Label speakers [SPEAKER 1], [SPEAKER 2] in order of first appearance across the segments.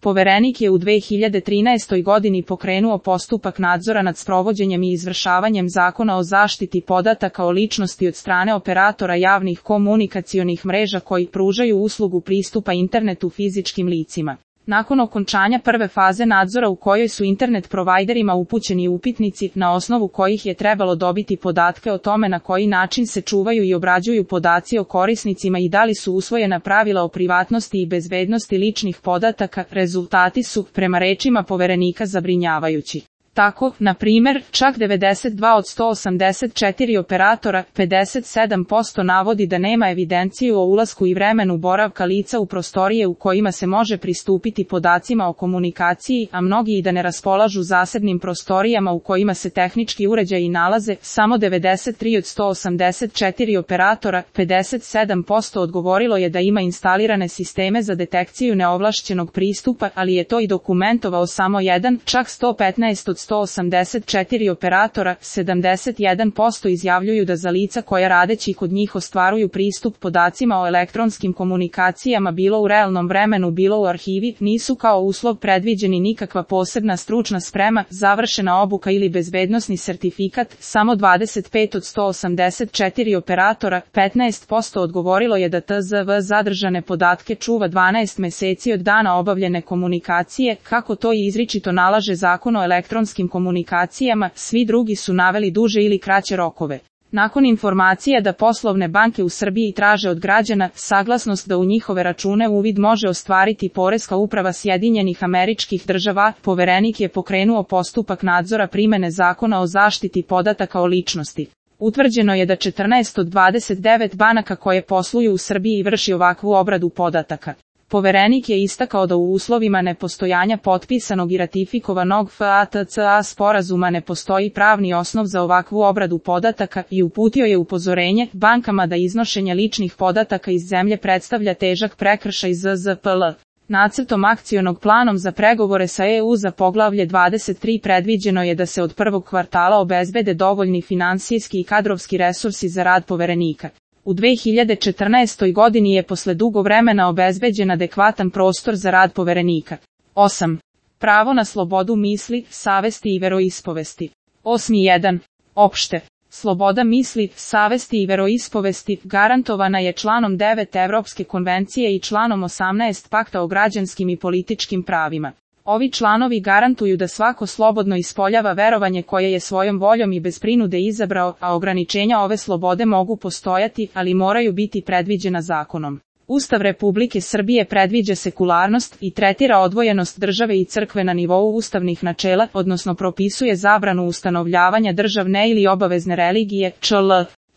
[SPEAKER 1] Poverenik je u 2013. godini pokrenuo postupak nadzora nad sprovođenjem i izvršavanjem Zakona o zaštiti podataka o ličnosti od strane operatora javnih komunikacionih mreža koji pružaju uslugu pristupa internetu fizičkim licima. Nakon okončanja prve faze nadzora u kojoj su internet provajderima upućeni upitnici na osnovu kojih je trebalo dobiti podatke o tome na koji način se čuvaju i obrađuju podaci o korisnicima i da li su usvojena pravila o privatnosti i bezbednosti ličnih podataka, rezultati su, prema rečima Poverenika, zabrinjavajući. Tako, na primjer, čak 92 od 184 operatora, 57% navodi da nema evidenciju o ulasku i vremenu boravka lica u prostorije u kojima se može pristupiti podacima o komunikaciji, a mnogi i da ne raspolažu zasebnim prostorijama u kojima se tehnički uređaji nalaze. Samo 93 od 184 operatora, 57% odgovorilo je da ima instalirane sisteme za detekciju neovlašćenog pristupa, ali je to i dokumentovao samo jedan, čak 115 od 184 operatora, 71% izjavljuju da za lica koja radeći kod njih ostvaruju pristup podacima o elektronskim komunikacijama bilo u realnom vremenu bilo u arhivi, nisu kao uslov predviđeni nikakva posebna stručna sprema, završena obuka ili bezbednosni sertifikat. Samo 25 od 184 operatora, 15% odgovorilo je da TZV zadržane podatke čuva 12 meseci od dana obavljene komunikacije, kako to i izričito nalaže Zakon o elektronskim komunikacijama. Svi drugi su naveli duže ili kraće rokove. Nakon informacija da poslovne banke u Srbiji traže od građana saglasnost da u njihove račune uvid može ostvariti Poreska uprava Sjedinjenih Američkih Država, Poverenik je pokrenuo postupak nadzora primene Zakona o zaštiti podataka o ličnosti. Utvrđeno je da 14 od 29 banaka koje posluju u Srbiji vrši ovakvu obradu podataka. Poverenik je istakao da u uslovima nepostojanja potpisanog i ratifikovanog FATCA sporazuma ne postoji pravni osnov za ovakvu obradu podataka i uputio je upozorenje bankama da iznošenje ličnih podataka iz zemlje predstavlja težak prekršaj ZZPL. Nacrtom akcionog planom za pregovore sa EU za poglavlje 23 predviđeno je da se od prvog kvartala obezbede dovoljni finansijski i kadrovski resursi za rad Poverenika. U 2014. godini je posle dugo vremena obezbeđen adekvatan prostor za rad Poverenika. 8. Pravo na slobodu misli, savesti i veroispovesti. 8.1. Opšte. Sloboda misli, savesti i veroispovesti garantovana je članom 9 Evropske konvencije i članom 18 Pakta o građanskim i političkim pravima. Ovi članovi garantuju da svako slobodno ispoljava verovanje koje je svojom voljom i bez prinude izabrao, a ograničenja ove slobode mogu postojati, ali moraju biti predviđena zakonom. Ustav Republike Srbije predviđa sekularnost i tretira odvojenost države i crkve na nivou ustavnih načela, odnosno propisuje zabranu ustanovljavanja državne ili obavezne religije, čl.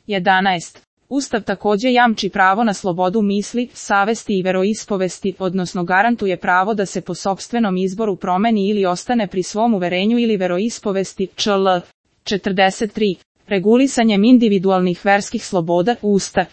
[SPEAKER 1] 11. Ustav takođe jamči pravo na slobodu misli, savesti i veroispovesti, odnosno garantuje pravo da se po sopstvenom izboru promeni ili ostane pri svom uverenju ili veroispovesti, čl. 43. Regulisanjem individualnih verskih sloboda, Ustav